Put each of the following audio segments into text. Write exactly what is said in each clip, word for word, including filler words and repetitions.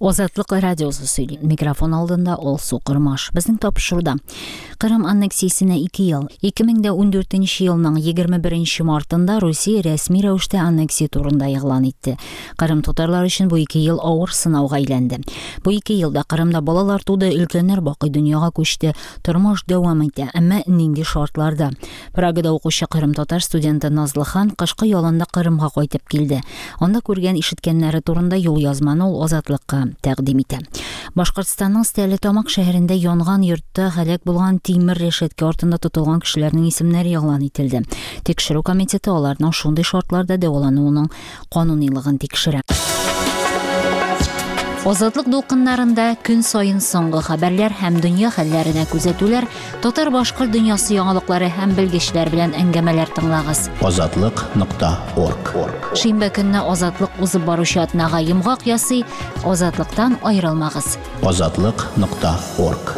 Азатлык радиосы сөйли. Микрофон алдында Алсу Кормаш. Безнең тапшыруда Кырым аннексиясенә ике ел. ике мең дә ундүртенче елның егерме беренче мартында Русия рәсми рәвештә аннексия турында игълан итте. Кырым татарлары өчен бу ике ел авыр сынауга әйләнде. Бу ике елда Кырымда балалар туды, өлкәннәр бакый дөньяга күчте. Тормыш дәвам итә, әмма нинди шартларда? Прагада укучы Кырым татар студенты Назлыхан кышкы ялында Кырымга кайтып килде. Анда күргән ишеткәннәре турында юл язманы ул Азатлыкка тәкъдим итә. Башкортстанның Стәрлетамак шәһәрендә янган йортта һәлак булган тимер рәшәткә артында тотылган кешеләрнең исемнәре игълан ителде. Тикшерү комитеты аларның шундый шартларда дәвалануының канунилыгын тикшерә. Азатлык дулкыннарында көн саен соңгы хәбәрләр һәм дөнья хәлләренә күзәтүләр, татар-башкорт дөньясы яңалыклары һәм белгечләр белән әңгәмәләр тыңлагыз. Азатлык нокта орг. Шимбә көнне Азатлык узып баручы атнага йомгак ясый. Азатлыктан аерылмагыз. Азатлык нокта орг.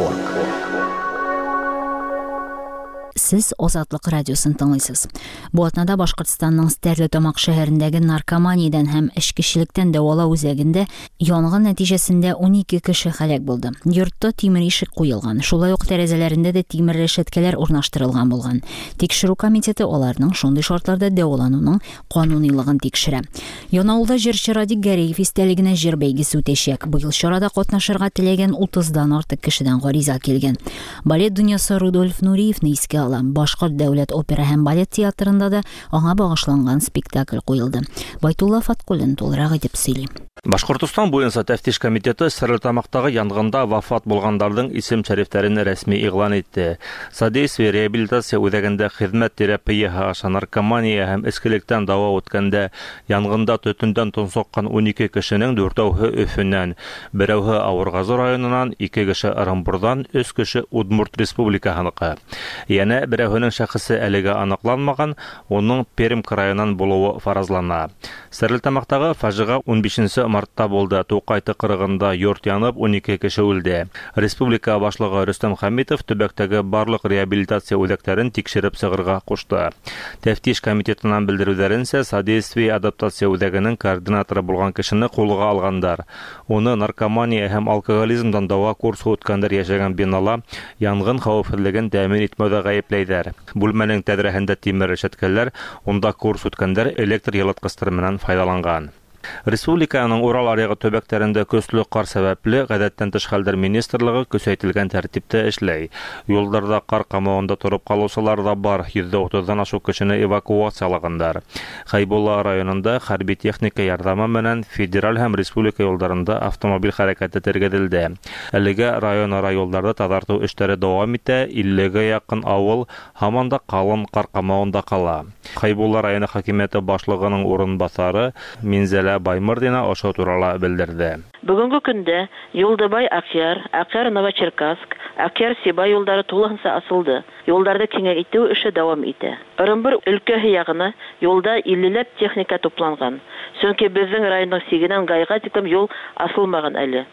Сез Азатлык радиосын тыңлыйсыз. Бу атнада Башкортстанның Стәрлетамак шәһәрендәге наркоманиядән һәм эчкечелектән дәвалау үзәгендә янгын нәтиҗәсендә унике кеше һәлак булды. Йортта тимер ишек куелган, шулай ук тәрәзәләрендә дә тимер рәшәткәләр урнаштырылган булган. Тикшерү комитеты аларның шундый шартларда дәвалануның канунилыгын тикшерә. Янаулда җырчы Радик Гәрәев истәлегенә җыр бәйгесе үтәчәк. Быел чарада катнашырга теләгән утыздан артык кешедән гариза килгән. Балет дөньясы Рудольф Нуриевны искә ала. Башкорт дәүләт опера һәм балет театрында да аңа багышланган спектакль куелды. Байтулла Фаткуллин тулырак итеп сөйли. Башкортостан буенча тәфтиш комитеты Стәрлетамактагы янгында вафат булганнарның исем шәрифләрен рәсми игълан итте. Содействие реабилитация үзәгендә хезмәт терапияһы аша наркомания һәм эчкелектән дәва үткәндә янгында төтендән тонсыккан унике кешенең дүртәүһе Өфөннән, берәүһе Авыргазы районыннан, ике кеше Ырымбурдан, өч кеше Удмурт республикаһыныкы. Янә берәүһенең шәхесе әлегә аныкланмаган, уның Пермь краеннан булуы фаразлана. Стәрлетамактагы фаҗига унбишенче мартта булды. Тукай тыкрыгында йорт янып, унике кеше үлде. Республика башлыгы Рөстәм Хәмитов төбәктәге барлык реабилитация үзәкләрен тикшереп чыгарга кушты. Тәфтиш комитетыннан белдерүләренчә, содействие адаптация үзәгенең координаторы булган кешене кулга алгандар. Уны наркомания һәм алкоголизмдан дәва курсы үткәндер яшәгән бинала янгын хәвефсезлеген тәэмин итмәүдә гаепләйдәр. Бүлмәнең тәҙрәһендә тимер рәшәткәләр, унда курс үткәндәр электр йылыткыстары менән файдаланган. Республиканың Урал аръягы төбәкләрендә көсле кар сәбәпле ғәдәттән тыш хәлдәр министрлыгы көсәйтелгән тәртиптә эшләй. Юлдарда кар камавында торып калучылар да бар, йөздә утыздан ашык кешене эвакуациялагандар. Хәйбулла районында хәрби техника ярҙамы менән федераль һәм республика юлдарында автомобиль хәрәкәте тергезелде. Әлегә район-ара юлдарда таҙартыу эштәре дауам итә, иллегә яҡын авыл һаман да ҡалын ҡар ҡамауында ҡала. Хәйбулла районы хакимиәте башлығының урынбаҫары Минзәлә Баймырҙина ошо турала белдерҙе. Бөгөнгө көндә Юлдыбай Акъяр, Акъяр Новочеркасск, Акъяр Сибай юлдары тулыһынса асылды. Юлдарҙы киңәйтеү эше дауам итә. Ырымбур өлкәһе яғына юлда иллеләп техника тупланған. Сөнки беҙҙең райондың сигенән Гайға тиклем юл асылмаған әле.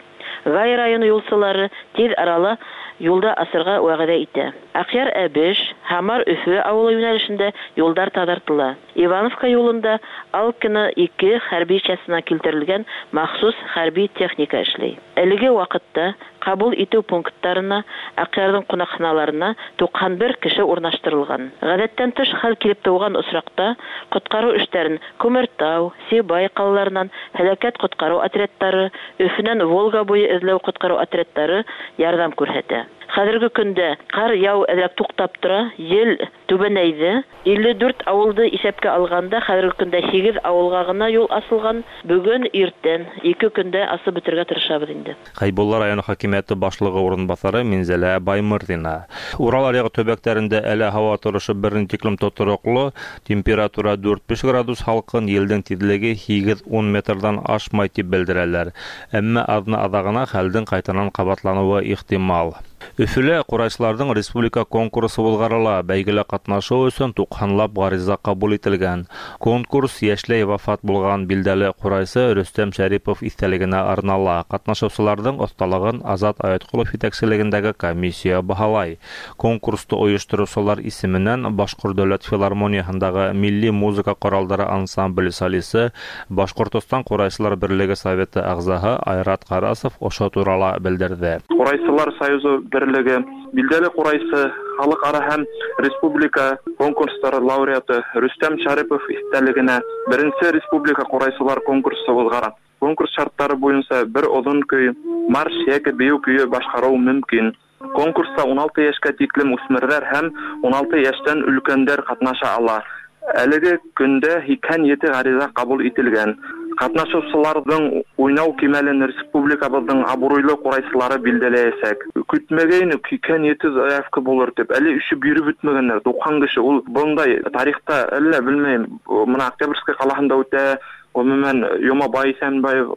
Гай районы юлсылары тиҙ арала юлда асырға вәғәҙә итә. Акъяр Әбеш, Һамар Өфө ауылы йүнәлешендә юлдар таҙартыла. Ивановка юлында Алкина ике хәрби частына килтерелгән махсус хәрби техника эшләй. Әлеге ваҡытта ҡабул итеү пункттарына, Акъярҙың ҡунаҡханаларына туҡһан бер кеше урынлаштырылған. Ғәҙәттән тыш хәл килеп тыуған осраҡта ҡотҡарыу эштәрен Күмертау, Сибай ҡалаларынан һәләкәт ҡотҡарыу отрядтары, Өфөнән Волга буйы эҙләү ҡотҡарыу отрядтары ярҙам күрһәтә. Хәҙерге көндә ҡар яу әҙерәк туҡтап тора, ел түбәнәйҙе. Илле дүрт ауылды иҫәпкә алғанда хәҙерге көндә һигеҙ ауылға ғына юл асылған. Бөгөн иртән ике көндә асып бөтөргә тырышабыҙ инде. Хәйбулла районы хакимиәте башлығы урынбаҫары Минзәлә Баймырҙина. Урал аръяғы төбәктәрендә әле һауа торошо бер ни тиклем тотороҡло, температура дүрт-биш градус һалҡын, елдең тиҙлеге һигеҙ-ун метрҙан ашмай тип белдерәләр. Әммә аҙна аҙағына хәлдең ҡайтанан ҡабатланыуы ихтимал. Өфөлә ҡурайсыларҙың республика конкурсы уҙғарыла. Бәйгелә ҡатнашыу өсөн туҡһанлап ғариза ҡабул ителгән. Конкурс йәшләй вафат булған билдәле ҡурайсы Рөстәм Шәрипов иҫтәлегенә арнала. Ҡатнашыусыларҙың оҫталығын Азат Аятҡолов етәкселегендәге комиссия баһалай. Конкурсты ойоштороусылар исеменән Башҡорт дәүләт филармонияһындағы милли музыка ҡоралдары ансамбле солисы, Башҡортостан ҡурайсылар берлеге советы ағзаһы Айрат Ҡарасов ошо турала белдерҙе. Ҡурайсылар союзы берлеге билдәле ҡурайсы, халыҡ-ара һәм республика конкурстары лауреаты Рөстәм Шәрипов иҫтәлегенә беренсе республика ҡурайсылар конкурсы уҙғара. Конкурс шарттары буйынса бер оҙон көй, марш йәки бейеү көйө башҡарыу мөмкин. Конкурста ун алты йәшкә тиклем үҫмерҙәр һәм ун алты йәштән өлкәндәр ҡатнаша ала. Әлеге көндә һикһән ете ғариза ҡабул ителгән. Ҡатнашыусыларҙың уйнау кимәлен республикабыҙҙың абруйлы ҡурайсылары билдәләйәсәк. Көтмәгәйнек һикһән ете заявка булыр тип, әле өшө биреп бөтмәгәндәр, туҡһан кеше. Ул бындай тарихта әллә белмәйем, мына Октябрьский ҡалаһында үтә, ғөмүмән Йомабай Иҫәнбаев,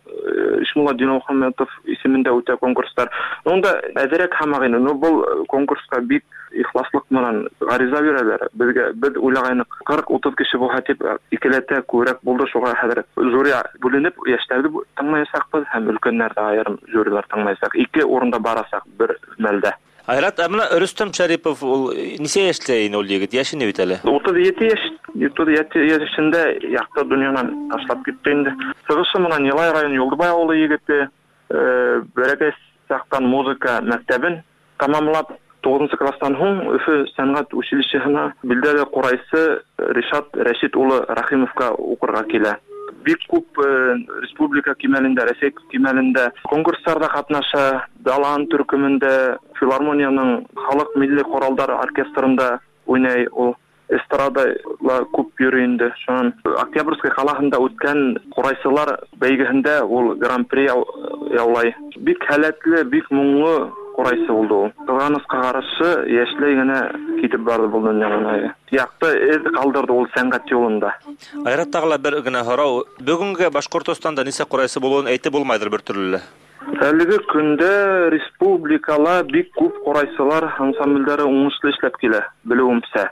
Ишмулла Динмөхәмәтов исемендә үтә конкурстар. Унда әҙерәк һамаҡ ине. Но был конкурсҡа бик ихласлыҡ менән ғариза бирәләр. Беҙгә беҙ уйлағайныҡ ҡырҡ утыҙ кеше булһа тип, икеләтә күберәк булды. Шуға хәҙер жюри бүленеп йәштәрҙе тыңлаясаҡбыҙ һәм өлкәндәрҙе айырым жюрилар тыңлаясаҡ. Ике урында барасаҡ бер мәлдә. Айрат, ә мына Рөстәм Шәрипов ул нисә йәштә ине ул егет? Йәше ни бит әле? Утыҙ ете йәш, утыҙ ете йәшендә яҡты донъянан ташлап китте инде. Сығышы менән Йылай район Юлдыбай ауылы егете, бәләкәй саҡтан музыка мәктәбен тамамлап, туғыҙынсы класстан һуң Өфө сәнғәт училищеһына билдәле ҡурайсы Ришат Рәшит улы Рәхимовҡа уҡырға килә. Бик күп республика кимәлендә, Рәсәй кимәлендә конкурстарҙа ҡатнаша, Далан төркөмөндә, филармонияның халыҡ милли ҡоралдар оркестрында уйнай ул. Эстрадала күп йөрөй инде. Шунан Октябрьский ҡалаһында үткән ҡурайсылар бәйгеһендә ул гран-при яулай. Бик һәләтле, бик моңло ҡурайсы булды ул. Ҡыҙғанысҡа ҡаршы йәшләй генә китеп барҙы был донъянан. Яҡты эҙ ҡалдырҙы ул сәнғәт юлында. Айрат, тағы ла бер генә һорау. Бөгөнгә Башҡортостанда нисә ҡурайсы булыуын әйтеп булмайҙыр бер төрлө лә. Әлеге көндә республикала бик күп ҡурайсылар ансамблдәре уңышлы эшләп килә, белеүемсә.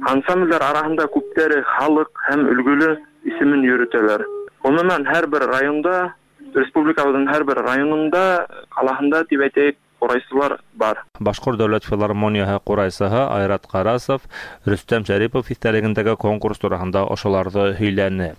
Ансамблдәр араһында күптәре халыҡ һәм өлгөлө исемен йөрөтәләр. Ғөмүмән, һәр бер районда, республикабыҙҙың һәр бер районында, ҡалаһында тип әйтәйек, ҡурайсылар бар. Башҡорт дәүләт филармонияһы ҡурайсыһы Айрат Ҡарасов Рөстәм Шәрипов иҫтәлегендәге конкурс тураһында ошоларҙы һөйләне.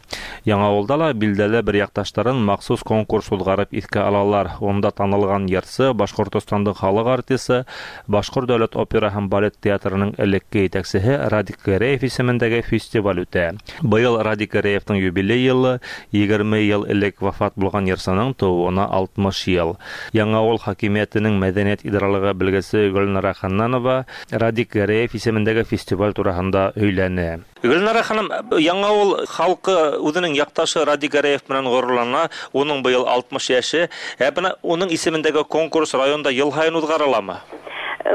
Яңауылда ла билдәле бер яҡташтарын махсус конкурс уҙғарып иҫкә алалар. Унда танылған йырсы, Башҡортостандың халыҡ артисы, Башҡорт дәүләт опера һәм балет театрының элекке етәксеһе Радик Гәрәев исемендәге фестиваль үтә. Быйыл Радик Гәрәевтең юбилей йылы, егерме йыл элек вафат булған йырсының тыуыуына алтмыш йыл. Яңауыл хакимиәтенең мәҙәниәт идаралығы белгесе Гөлнара Ханнанова Радик Гәрәев исемендәге фестиваль тураһында һөйләне. Гөлнара ханым, Яңауыл халҡы үҙенең яҡташы Радик Гәрәев менән ғорурлана, уның быйыл алтмыш йәше. Ә бына уның исемендәге конкурс районда йыл һайын уҙғарыламы?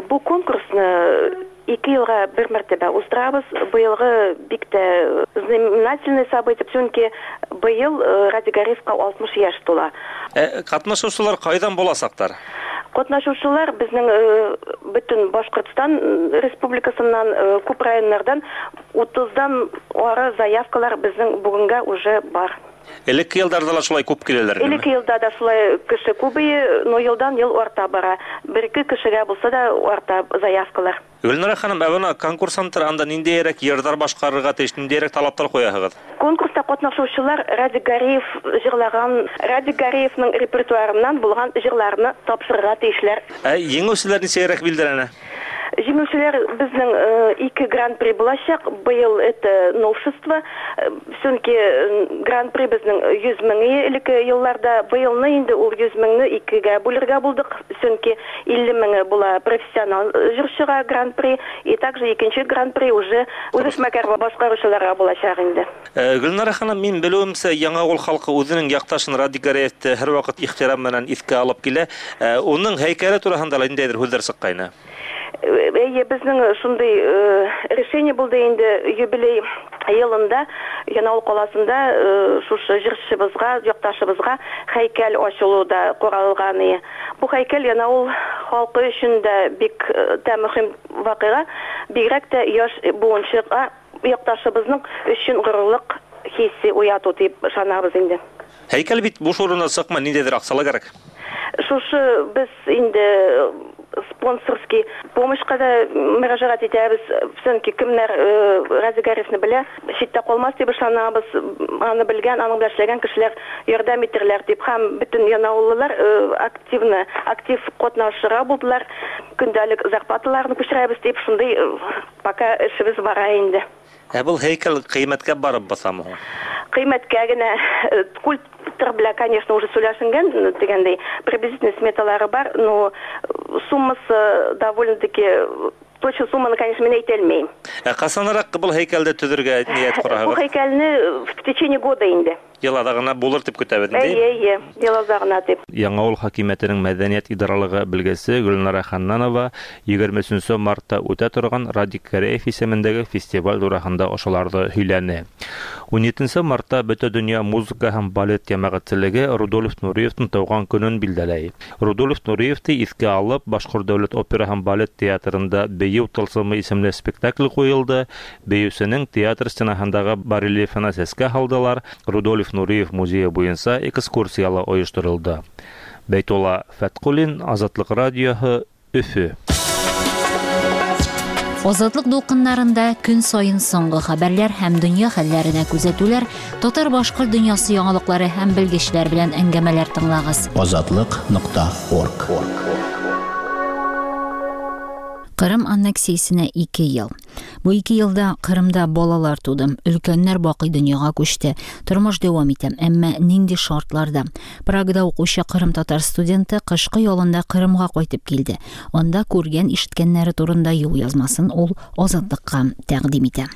Бу конкурсны ике йылға бер мәртәбә уздырабыҙ. Быйылғы бик тә знаменательный событие, сөнки быйыл Радик Гәрәевҡа алтмыш йәш тула. Ә ҡатнашыусылар ҡайҙан буласаҡтар? Ҡатнашыусылар беҙҙең бөтөн Башҡортостан Республикасынан, күп райондарҙан утыҙҙан ары заявкалар беҙҙең бөгөнгә уже бар. Элекке йылдарҙа ла шулай күп киләләр? Элекке йылда да шулай кеше күбәйә, но йылдан йыл арта бара. Бер-ике кешегә булса да арта заявкалар. Гөлнара ханым, ә бына конкурсанттар анда ниндәйерәк йырҙар башҡарырға тейеш, ниндәйерәк талаптар ҡуяһығыҙ? Конкурста ҡатнашыусылар Радик Гәрәев йырлаған, Радик Гәрәевнең репертуарынан булған йырларны тапшырырға тейешләр. Ә еңеүселәр нисәйерәк билдәләнә? Еңеүселәр беҙҙең ике гран-при буласаҡ. Быйыл это новшество, сөнки гран-при беҙҙең йөҙ мең элекке йылларҙа, быйылны инде ул йөҙ меңне икегә бүлергә булдыҡ, сөнки илле меңе була профессионал йырсыға гран-при, и также икенсе гран-при уже үҙешмәкәр башҡарыусыларға буласаҡ инде. Гөлнара ханым, мин белеүемсә, Яңауыл халҡы үҙенең яҡташын Радик Гәрәевте һәр ваҡыт ихтирам менән иҫкә алып килә. Уның һәйкәле тураһында ла ниндәйҙер һүҙҙәр сыҡҡайны? Эйе, беҙҙең шундай решение булды инде юбилей йылында Янаул каласында шушы җырчыбызга, якташыбызга һәйкәл ачылу да каралган. Бу һәйкәл Янаул халкы өчен дә бик тә мөһим вакыйга, бигрәк тә яшь буынчыга якташыбызның өчен горурлык хисе уяту дип ышанабыз инде. Һәйкәл бит буш урыннан чыкмый, ниндидер акчалар кирәк. Шушы без инде спонсорский помощька да мөрәҗәгать итәбез. Чөнки кемнәр Разил Гарифны белә, читтә калмас дип ышанабыз. Аны белгән, аның белән эшләгән кешеләр ярдәм итерләр дип һәм бөтен янаулылар активны, актив катнашырга булдылар. Көндәлек зарплаталарны күчерәбез дип шундый пока эшебез бара инде. Ә был һәйкәл кыйммәткә барып басамы? Кыйммәткә генә скульптор белән, конечно, уже сөйләшенгән дигәндәй, приблизительно сметалары бар, но суммасы довольно-таки точно сумманы, конечно, мин әйтә алмыйм. Ә касанрак был һәйкәлде төзергә ният корабыз? Бу һәйкәлне в течение года инде. Ел азагына булыр дип көтәбез инде. Әйе, әйе, ел азагына дип. Яңавыл хакимиятенең мәдәният идаралыгы белгесе Гөлнара Ханнанова егерме өченче мартта үтә торган Радик Гәрәев исемендәге фестиваль турында ошоларны һөйләне. ун етенче мартта бөтә дөнья музыка һәм балет җәмәгатьчелеге Рудольф Нуриевның туган көнен билгеләй. Рудольф Нуриевны искә алып, Башкорт дәүләт опера һәм балет театрында Бейеү тылсымы исемле спектакль куелды. Бейеүсенең театр стенаһындагы барельефына сәскә һалдылар. Рудольф Нуриев музее буенча экскурсиялар оештырылды. Бәйтулла Фәткуллин, Азатлык радиоһы, Өфө. Азатлык дулкыннарында көн саен соңгы хәбәрләр һәм дөнья хәлләренә күзәтүләр, татар-башкорт дөньясы яңалыклары һәм белгечләр белән әңгәмәләр тыңлагыз. Азатлык нокта орг. Кырым аннексиясенә ике ел. Бу ике елда Кырымда балалар туды, өлкәннәр бакый дөньяга күчте. Тормыш дәвам итә, әмма нинди шартларда? Прагада укучы Кырым татар студенты кышкы ялында Кырымга кайтып килде. Анда күргән, ишеткәннәре турында юл язмасын ул Азатлыкка тәкъдим итә.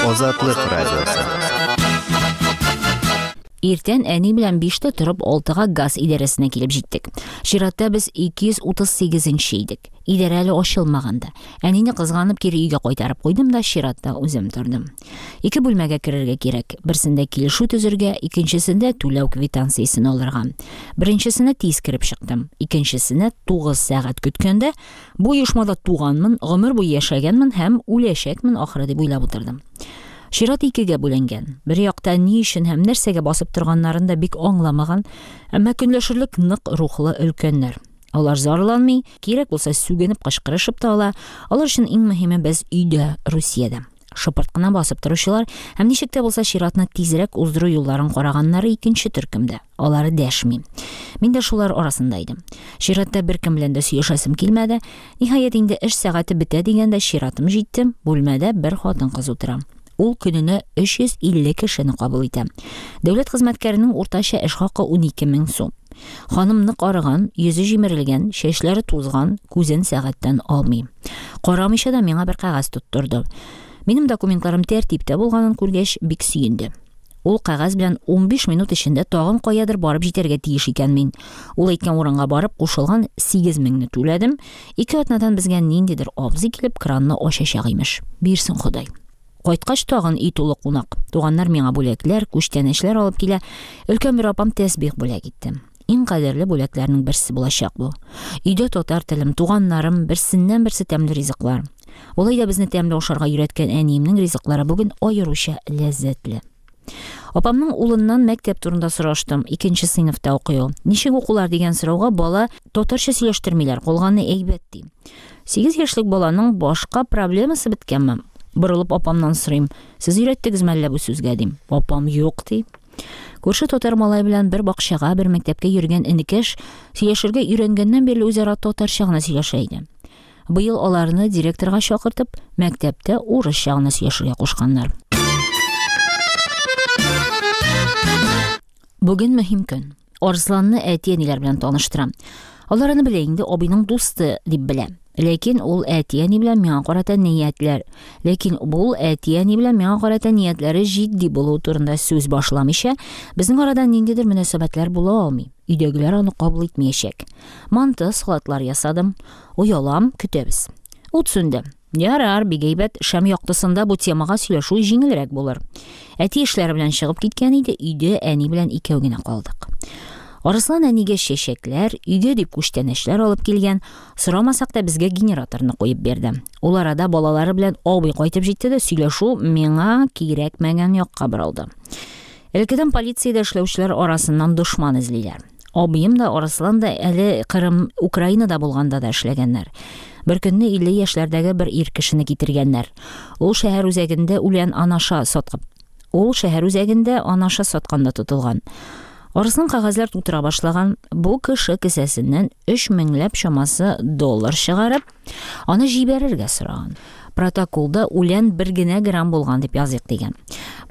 Азатлык радиосы. Иртән әни белән биштә торып алтыга газ идарәсенә килеп җиттек. Чиратта без ике йөз утыз сигезенче идек. Идарә әле ачылмаганда. Әнине кызганып кире өйгә кайтарып куйдым да чиратта үзем тордым. Ике бүлмәгә керергә кирәк. Берсендә килешү төзергә, икенчесендә түләү квитанциясен алырга. Беренчесенә тиз кереп чыктым. Икенчесенә тугыз сәгать көткәндә, бу оешмада туганмын, гомер буе яшәгәнмен һәм үләчәкмен ахыры дип уйлап утырдым. Чират икегә бүленгән. Бер якта ни өчен һәм нәрсәгә басып торганнарын да бик аңламаган, әмма көнләшерлек нык рухлы өлкәннәр. Алар зарланмый, кирәк булса сүгенеп кычкырышып та ала. Алар өчен иң мөһиме без өйдә, Русиядә. Шыпырт кына басып торучылар һәм ничек тә булса чиратны тизрәк уздыру юлларын караганнары икенче төркемдә. Алар дәшми. Мин дә шулар арасында идем. Чиратта беркем белән дә сөйләшәсем килмәде. Ниһаять инде эш сәгате бетә дигәндә чиратым җитте. Бүлмәдә бер хатын-кыз утыра. Ул көненә өч йөз илле кешене кабул итә. Дәүләт хезмәткәренең уртача эш хакы унике мең сум. Ханым нык арыган, йөзе җимерелгән, чәчләре тузган, күзен сәгатьтән алмый. Карамыйча да миңа бер кәгазь тоттырды. Минем документларым тәртиптә булганын күргәч, бик сөенде. Ул кәгазь белән унбиш минут эчендә тагын каядыр барып җитәргә тиеш икән мин. Ул әйткән урынга барып кушылган сигез меңне түләдем. Ике атнадан безгә ниндидер абзый килеп кранны ачачак имеш. Бирсен Ходай. Кайткач тагын өй тулы кунак. Туганнар миңа бүләкләр, күчтәнәчләр алып килә. Өлкән бер апам тәсбих бүләк итте. Иң кадерле бүләкләрнең берсе булачак бу. Өйдә татар телем, туганнарым, берсеннән берсе тәмле ризыклар. Улай да безне тәмле ашарга өйрәткән әниемнең ризыклары бүген аеруча ләззәтле. Апамның улыннан мәктәп турында сораштым. Икенче сыйныфта укый ул. Ничек укулар дигән сорауга бала татарча сөйләштермиләр, калганы әйбәт ди. Сигез яшьлек баланың башка проблемасы беткәнме? Борылып апамнан сорыйм. Сез өйрәттегезме әллә бу сүзгә дим. Апам юк ди. Күрше татар малай белән бер бакчага, бер мәктәпкә йөргән энекәш сөйләшергә өйрәнгәннән бирле үзара татарча гына сөйләшә иде. Быел аларны директорга чакыртып, мәктәптә урысча гына сөйләшергә кушканнар. Бүген мөһим көн. Арсланны әти-әниләр белән таныштырам. Алар аны белә инде, абыйның дусты дип белә. Ләкин ул әти-әни белән миңа карата ниятләр. Ләкин бу әти-әни белән миңа карата ниятләре җитди булуы турында сүз башламыйча, безнең арада ниндидер мөнәсәбәтләр була алмый. Өйдәгеләр аны кабул итмәячәк. Манты, салатлар ясадым. Оялам, көтәбез. Ут сүнде. Ярар, бик әйбәт, шәм яктысында бу темага сөйләшү җиңелрәк булыр. Әти эшләре белән чыгып киткән иде, өйдә әни белән икәү генә калдык. Арыслан әнигә чәчәкләр, өйгә дип күчтәнәчләр алып килгән, сорамасак та безгә генераторны куеп бирде. Ул арада балалары белән абый кайтып җитте дә сөйләшү миңа кирәкмәгән якка борылды. Элеккедән полициядә эшләүчеләр арасыннан дошман эзлиләр. Абыем да, Арыслан да әле Кырым, Украинада булганда да эшләгәннәр. Бер көнне илле яшьләрдәге бер ир кешене китергәннәр. Ул шәһәр үзәгендә үлән анаша саткан. Ул шәһәр үзәгендә анаша сатканда тотылган. Арыслан кәгазьләр тутыра башлаган. Бу кеше кесәсеннән өч меңләп чамасы доллар чыгарып, аны җибәрергә сораган. Протоколда үлән бер генә грамм булган дип языйк дигән.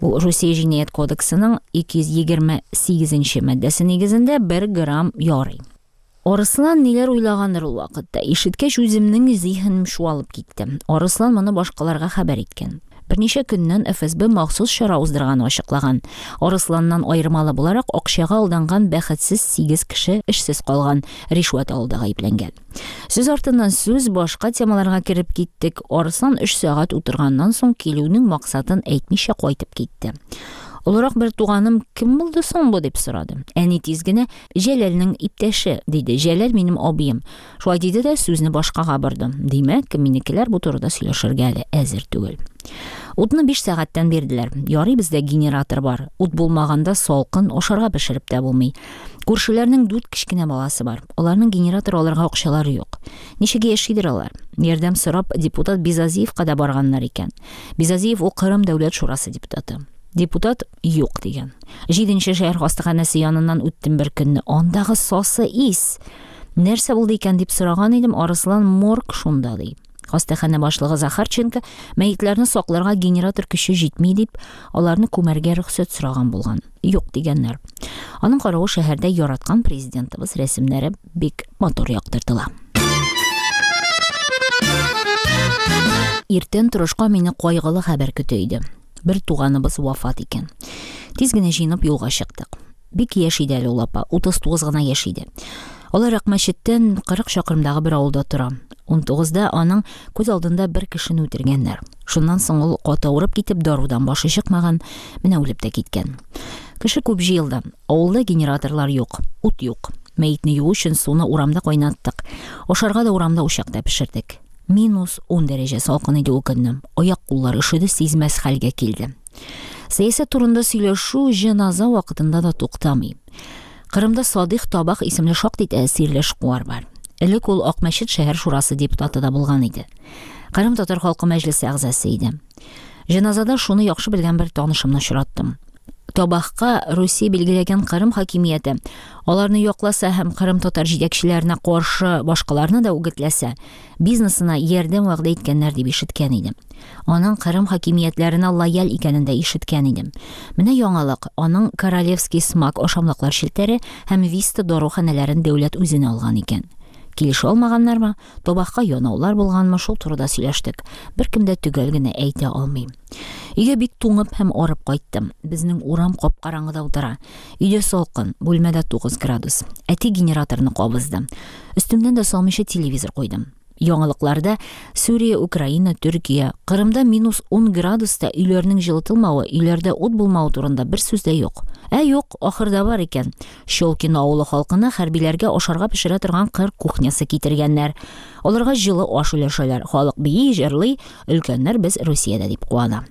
Бу Русия җинаять кодексының ике йөз егерме сигезенче маддәсе нигезендә бер грамм ярый. Арыслан ниләр уйлагандыр ул вакытта. Ишеткәч үземнең зиһенем чуалып китте. Арыслан моны башкаларга хәбәр иткән. Берничә көннән Эф Эс Бэ махсус чара уздырганы ачыклаган. Арысланнан аермалы буларак акчага алданган бәхетсез сигез кеше эшсез калган, ришвәт алуда гаепләнгән. Сүз артыннан сүз башка темаларга кереп киттек. Арыслан өч сәгать утырганнан соң килүнең максатын әйтмичә кайтып китте. Олырак бер туганым кем булды соң бу дип сорады. Әни тиз генә Җәләлнең иптәше диде. Җәләл минем абыем. Шулай диде дә сүзне башкага борды. Димәк, минекеләр бу турыда сөйләшергә әле әзер түгел. Утны биш сәгатьтән бирделәр. Ярый бездә генератор бар. Ут булмаганда салкын ашарга пешереп тә булмый. Күршеләрнең дүрт кечкенә баласы бар. Аларның генератор алырга акчалары юк. Ничек яшидер алар? Ярдәм сорап депутат Бизазиевка да барганнар икән. Бизазиев ул Кырым дәүләт шурасы депутаты. Депутат юк дигән. Җиденче шәһәр хастаханәсе яныннан үттем бер көнне. Андагы сасы ис. Нәрсә булды икән дип сораган идем, Арыслан морг шунда ди. Хастаханә башлыгы Захарченко мәетләрне сакларга генератор көче җитми дип, аларны күмәргә рөхсәт сораган булган. Юк дигәннәр. Аның каравы шәһәрдә яраткан президентыбыз рәсемнәре бик матур яктыртыла. Иртән торышка мине кайгылы хәбәр көтә иде. Бер туганыбыз вафат икән. Тиз генә җыенып юлга чыктык. Бик яшь иде әле ул апа, утыз тугыз гына яшь иде. Алар Акмәчеттән кырык чакрымдагы бер авылда тора. Ун тугызда аның күз алдында бер кешене үтергәннәр. Шуннан соң ул каты авырып китеп, дарудан башы чыкмаган, менә үлеп тә киткән. Кеше күп җыелды. Авылда генераторлар юк, ут юк. Мәетне юу өчен суны урамда кайнаттык. Ашарга да урамда учакта пешердек. Минус ун дәрәҗә салкын иде ул көнне. Аяк куллары өшеде, сизмәс хәлгә килде. Сәясәт турында сөйләшү җеназа вакытында да туктамый. Кырымда Садыйх Табак исемле шактый тәэсирле эшкуар бар. Элек ул Акмәчет шәһәр шурасы депутаты да булган иде. Кырым татар халкы мәҗлесе әгъзасы иде. Җеназада шуны яхшы белгән бер танышымны очраттым. Табакка Русия билгеләгән Кырым хакимияте аларны якласа һәм Кырым татар җитәкчеләренә каршы башкаларны да үгетләсә, бизнесына ярдәм вәгъдә иткәннәр дип ишеткән идем. Аның Кырым хакимиятләренә лояль икәнен дә ишеткән идем. Менә яңалык, аның Королевский смак ашамлыклар челтәре һәм Виста даруханәләрен дәүләт үзенә алган икән. Килешә алмаганнармы, табакка янаулар булганмы, шул турыда сөйләштек. Беркем дә төгәл генә әйтә алмыйм. Өйгә бик туңып һәм арып кайттым. Безнең урам кап-караңгыда утыра. Өйдә салкын, бүлмәдә тугыз градус. Әти генераторны кабызды. Өстемнән дә салмыйча телевизор куйдым. Яңалыкларда Сүрия, Украина, Төркия, Кырымда минус ун градуста өйләрнең җылытылмавы, өйләрдә ут булмавы турында бер сүз дә юк. Ә юк, ахырда бар икән. Щелкино авылы халкына хәрбиләргә ашарга пешерә торган кыр кухнясы китергәннәр. Аларга җылы аш өләшәләр. Халык бии, җырлый, өлкәннәр без Русиядә дип куана.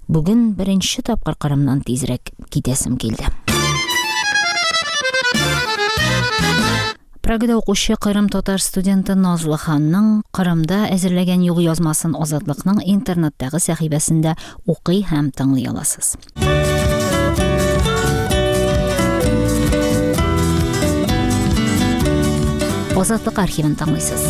Бүген беренче тапкыр Кырымнан тизрәк китәсем килде. Прагада укучы Кырым татар студенты Назлы ханның Кырымда әзерләгән юл язмасын Азатлыкның интернеттагы сәхифәсендә укый һәм тыңлый аласыз. Азатлык архивын тыңлыйсыз.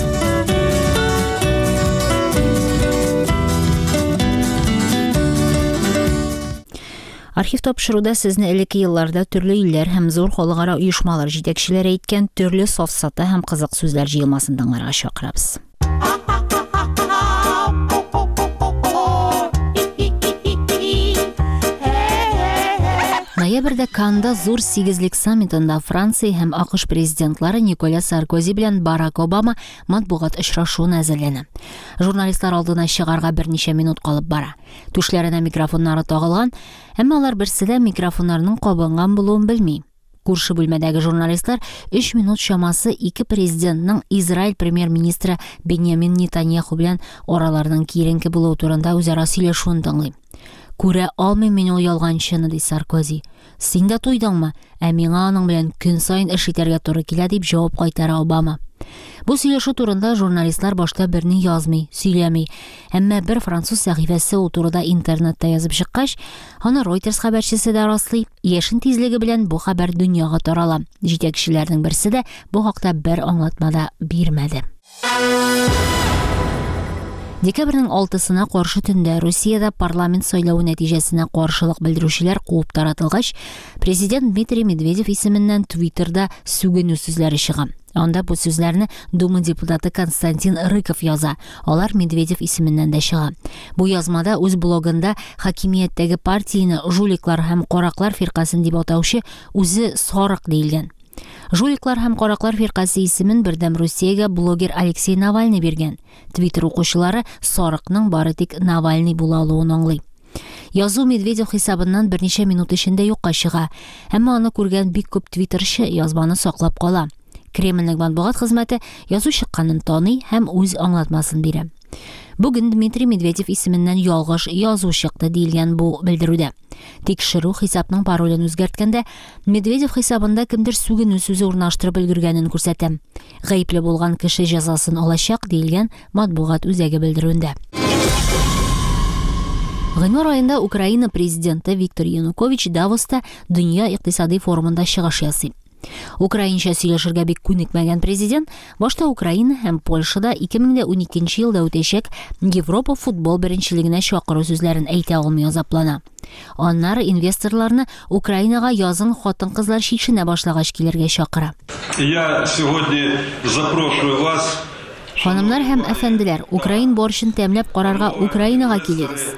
Архив тапшыруда сезне элекке елларда төрле илләр һәм зур халыкара оешмалар җитәкчеләре әйткән төрле сафсата һәм кызык сүзләр җыелмасын тыңларга чакырабыз. Ноябрьдә Канда зур сигезлек саммитында Франция һәм АКШ президентлары Николя Саркози белән Барак Обама матбугат очрашуына әзерләнә. Журналистлар алдына чыгарга берничә минут калып бара. Түшләренә микрофоннары тагылган, әмма алар берсе дә микрофоннарның кабынган булуын белми. Күрше бүлмәдәге журналистлар өч минут чамасы ике президентның Израиль премьер-министры Беньямин Нетаньяху белән араларының киеренке булуы турында үзара сөйләшүен тыңлый. Күрә алмыйм мин ул ялганчыны, ди Саркози. Син дә туйдыңмы? Ә миңа аның белән көн саен эш итәргә туры килә, дип җавап кайтара Обама. Бу сөйләшү турында журналистлар башта берни язмый, сөйләми. Әмма бер француз сәхифәсе ул турыда интернетта язып чыккач, аны Reuters хәбәрчесе дә раслый. Яшен тизлеге белән бу хәбәр дөньяга тарала. Җитәкчеләрнең берсе дә бу хакта бер аңлатма да бирмәде. Декабрьнең алтысына каршы төндә Русиядә парламент сайлавы нәтиҗәсенә каршылык белдерүчеләр куып таратылгач, президент Дмитрий Медведев исеменнән Твиттерда сүгенү сүзләре чыга. Анда бу сүзләрне Дума депутаты Константин Рыков яза. Алар Медведев исеменнән дә чыга. Бу язмада үз блогында хакимияттәге партияне жуликлар һәм караклар фиркасын дип атаучы үзе сарык диелгән. Жуликлар һәм караклар фиркасе исемен Бердәм Русиягә блогер Алексей Навальный биргән. Твиттер укучылары сарыкның бары тик Навальный була алуын аңлый. Язу Медведев хисабыннан берничә минут эчендә юкка чыга. Әмма аны күргән бик күп твиттерчы язманы саклап кала. Кремльнең матбугат хезмәте язу чыкканын таный һәм үз аңлатмасын бирә. Бүген Дмитрий Медведев исеменнән ялгыш язу чыкты диелгән бу белдерүдә. Тикшерү хисапның паролен үзгәрткәндә Медведев хисабында кемдер сүгенү сүзе урнаштырып өлгергәнен күрсәтә. Гаепле булган кеше җәзасын алачак диелгән матбугат үзәге белдерүендә. Гыйнвар аенда Украина президенты Виктор Янукович Давоста Дөнья икътисади форумында чыгыш ясый. Украинча сөйләшергә бик күнекмәгән президент башта Украина һәм Польшада ике мең дә уникенче елда үтәчәк Европа футбол беренчелегенә чакыру сүзләрен әйтә алмый азаплана. Аннары инвесторларны Украинага язын хатын-кызлар чишенә башлагач килергә чакыра. Я сегодня запрошую вас. Ханымнар һәм әфәнделәр, украин борщын тәмләп карарга Украинага килегез.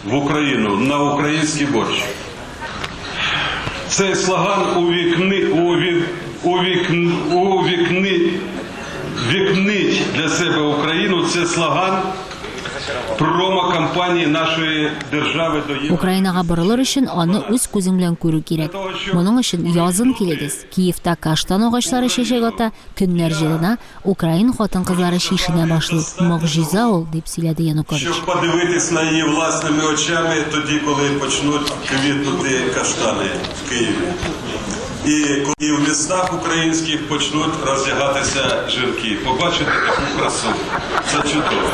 В Украину на украинский борщ. Цей слоган увікни, увік, увікни, увікни, вікнить для себе Україну. Це слоган промо-кампанії нашої держави до Європи. Украинага борылыр өчен аны үз күзең белән күрү кирәк. Моның өчен язын килегез. Киевта каштан агачлары чәчәк ата, көннәр җылына, украин хатын-кызлары чишенә башлый. Могҗиза ул, дип сөйләде Янукович. Щоб подивитись на її власними очами тоді, коли почнуть квітнути каштани в Києві. І, і в містах українських почнуть роздягатися жінки. Побачити таку красу. Це чудово.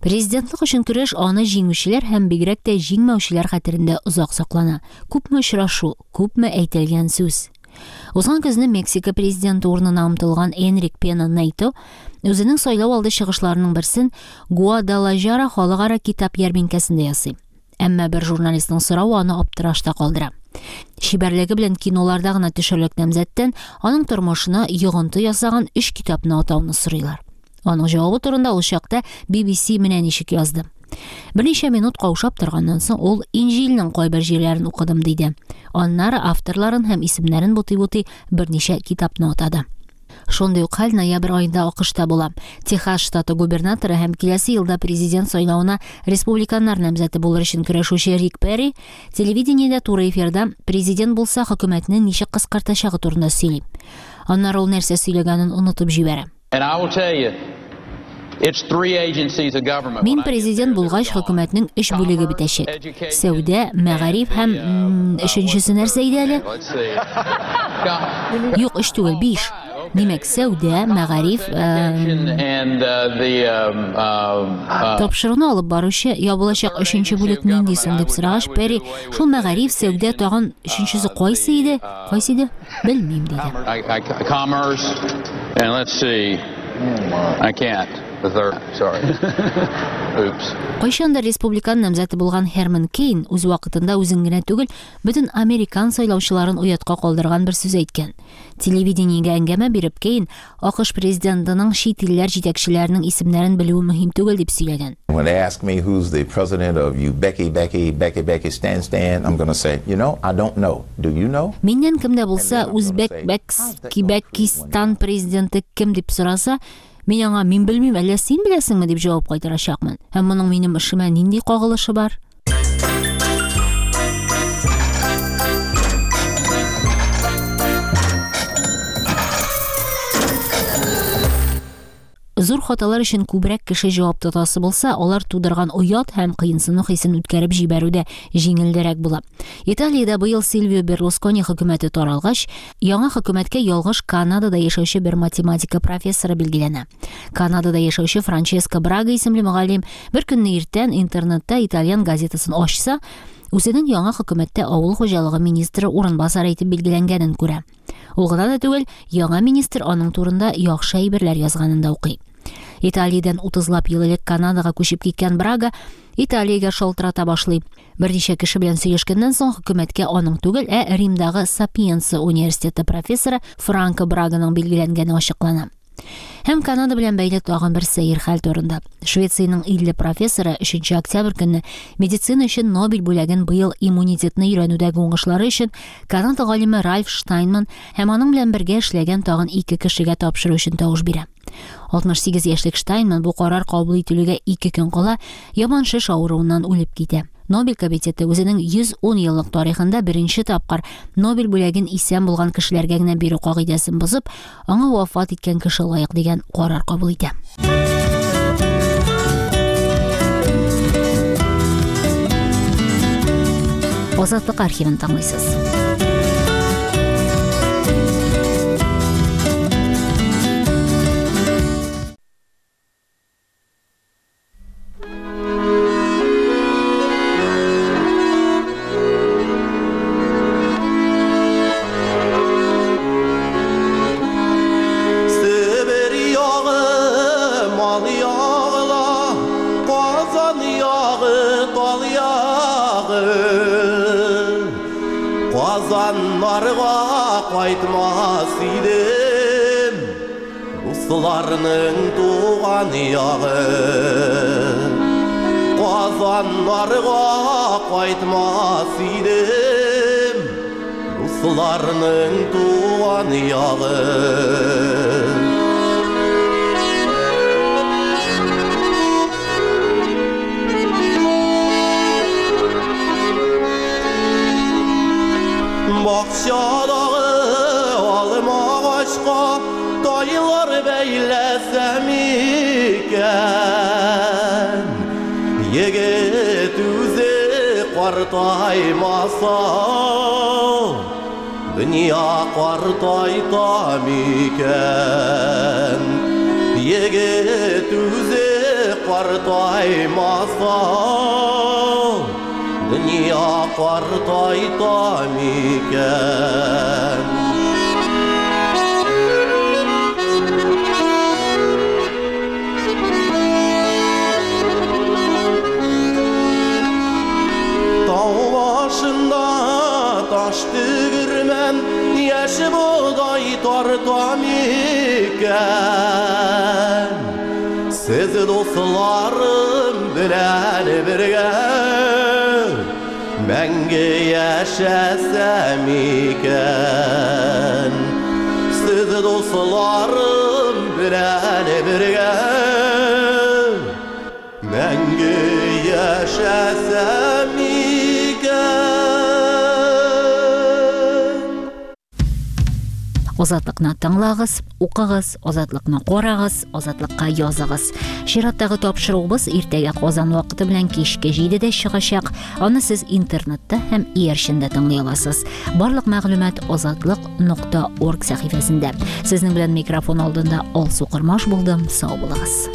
Президентлык өчен көрәш аны җиңүчеләр һәм бигрәк тә җиңмәүчеләр хәтерендә озак саклана. Күпме очрашу, күпме әйтелгән сүз. Узган көзне Мексика президенты урынына омтылган Энрик Пена Нейто үзенең сайлау алды чыгышларының берсен Гуадалажара халыкара китап ярминкәсендә ясый. Әмма бер журналистның соравы аны аптырашта калдыра. Чибәрлеге белән киноларда гына төшерлек намзәттән аның тормышына йогынты ясаган өч китапны атауны сорыйлар. Аның җавабы турында ул чакта Би Би Си менә ничек язды. Берничә минут каушап торганнан соң ул Инҗилнең кайбер җирләрен укыдым диде. Аннары авторларын һәм исемнәрен бутый-бутый берничә китапны атады. Шундый ук хәл ноябрь аенда АКШта була. Техас штаты губернаторы һәм киләсе елда президент сайлавына республиканнар намзәте булыр өчен көрәшүче Рик Перри телевидениедә туры эфирда президент булса хөкүмәтне ничек кыскартачагы турында сөйли. Аннары ул нәрсә сөйләгәнен онытып җибәрә. And I will tell you, it's three agencies of government. Мин президент булгач хөкүмәтнең өч бүлеге бетәчәк. Сәүдә, мәгариф һәм өченчесе нәрсә иде әле? Юк, өч түгел, биш. Димәк, сәүдә, мәгариф, тапшыруны алып баручы ябылачак өченче бүлек нинди соң дип сорагач, Перри шул мәгариф, сәүдә тагын өченчесе кайсы иде? Кайсы иде? Белмим диде. Commerce and let's see. I can't. The third, sorry. Oops. Кайчандыр республикан намзәте булган Херман Кейн үз вакытында үзен генә түгел, бөтен американ сайлаучыларын оятка калдырган бер сүз әйткән. Телевидениегә әңгәмә биреп Кейн АКШ президентының чит илләр җитәкчеләренең исемнәрен белүе мөһим түгел дип сөйләгән. When they ask me who's the president of you Becky Becky Becky Becky Stan Stan, I'm gonna say, you know, I don't know. Do you know? Миннән кем дә булса Үзбәк Бәкс Кибәкистан президенты кем дип сораса, мин аңа мин белмим, әллә син беләсеңме дип җавап кайтарачакмын. Һәм моның минем эшемә нинди кагылышы бар? Зур хаталар өчен күбрәк кеше җавап тотасы булса, алар тудырган оят һәм кыенсыну хисен үткәреп җибәрүдә җиңелрәк була. Италиядә быел Сильвио Берлускони хөкүмәте таралгач, яңа хөкүмәткә ялгыш Канадада яшәүче бер математика профессоры билгеләнә. Канадада яшәүче Франческо Брага исемле мөгаллим бер көнне иртән интернетта итальян газетасын ачса, үзенең яңа хөкүмәттә авыл хуҗалыгы министры урынбасары итеп билгеләнгәнен күрә. Ул гына да түгел, яңа министр аның турында яхшы әйберләр язганын да укый. Италиядән утызлап ел элек Канадага күчеп киткән Брага Италиягә шалтырата башлый. Берничә кеше белән сөйләшкәннән соң хөкүмәткә аның түгел, ә Римдагы Сапиенца университеты профессоры Франко Браганың билгеләнгәне ачыклана. Һәм Канада белән бәйле тагын бер сәер хәл турында. Швециянең илле профессоры өченче октябрь көнне медицина өчен Нобель бүләген быел иммунитетны өйрәнүдәге уңышлары өчен Канада галиме Ральф Штайнман һәм аның белән бергә эшләгән тагын ике кешегә тапшыру өчен тавыш бирә. алтмыш сигез яшьлек Штайнман бу карар кабул ителүгә ике көн кала яман шеш авыруыннан үлеп китә. Нобель комитеты үзенең йөз ун еллык тарихында беренче тапкыр Нобель бүләген исән булган кешеләргә генә бирү кагыйдәсен бозып, аңа вафат иткән кеше лаек дигән карар кабул итә. Азатлык архивын тыңлыйсыз. Казаннарга кайтмас идем, дусларның туган ягы. Казаннарга кайтмас идем, дусларның туган ягы. Бакчадагы алма агачка тайлар бәйләсәм икән, егет үзе картаймаса, дөнья картайта микән? Егет үзе картаймаса, дөнья картайта микән? Тау башында таш тегермән, яшь бодай тарта микән? Сез дусларым белән бергә мәңге яшәсәм икән. Сез дусларым белән бергә мәңге яшәсәм икән. Азатлыкны тыңлагыз, укыгыз, азатлыкны карагыз, азатлыкка языгыз. Чираттагы тапшыруыбыз иртәгә Казан вакыты белән кичке җидедә чыгачак. Аны сез интернетта һәм иярчендә тыңлый аласыз. Барлык мәгълүмат азатлык нокта орг сәхифәсендә. Сезнең белән микрофон алдында Алсу Кырмаш булдым. Сау булыгыз.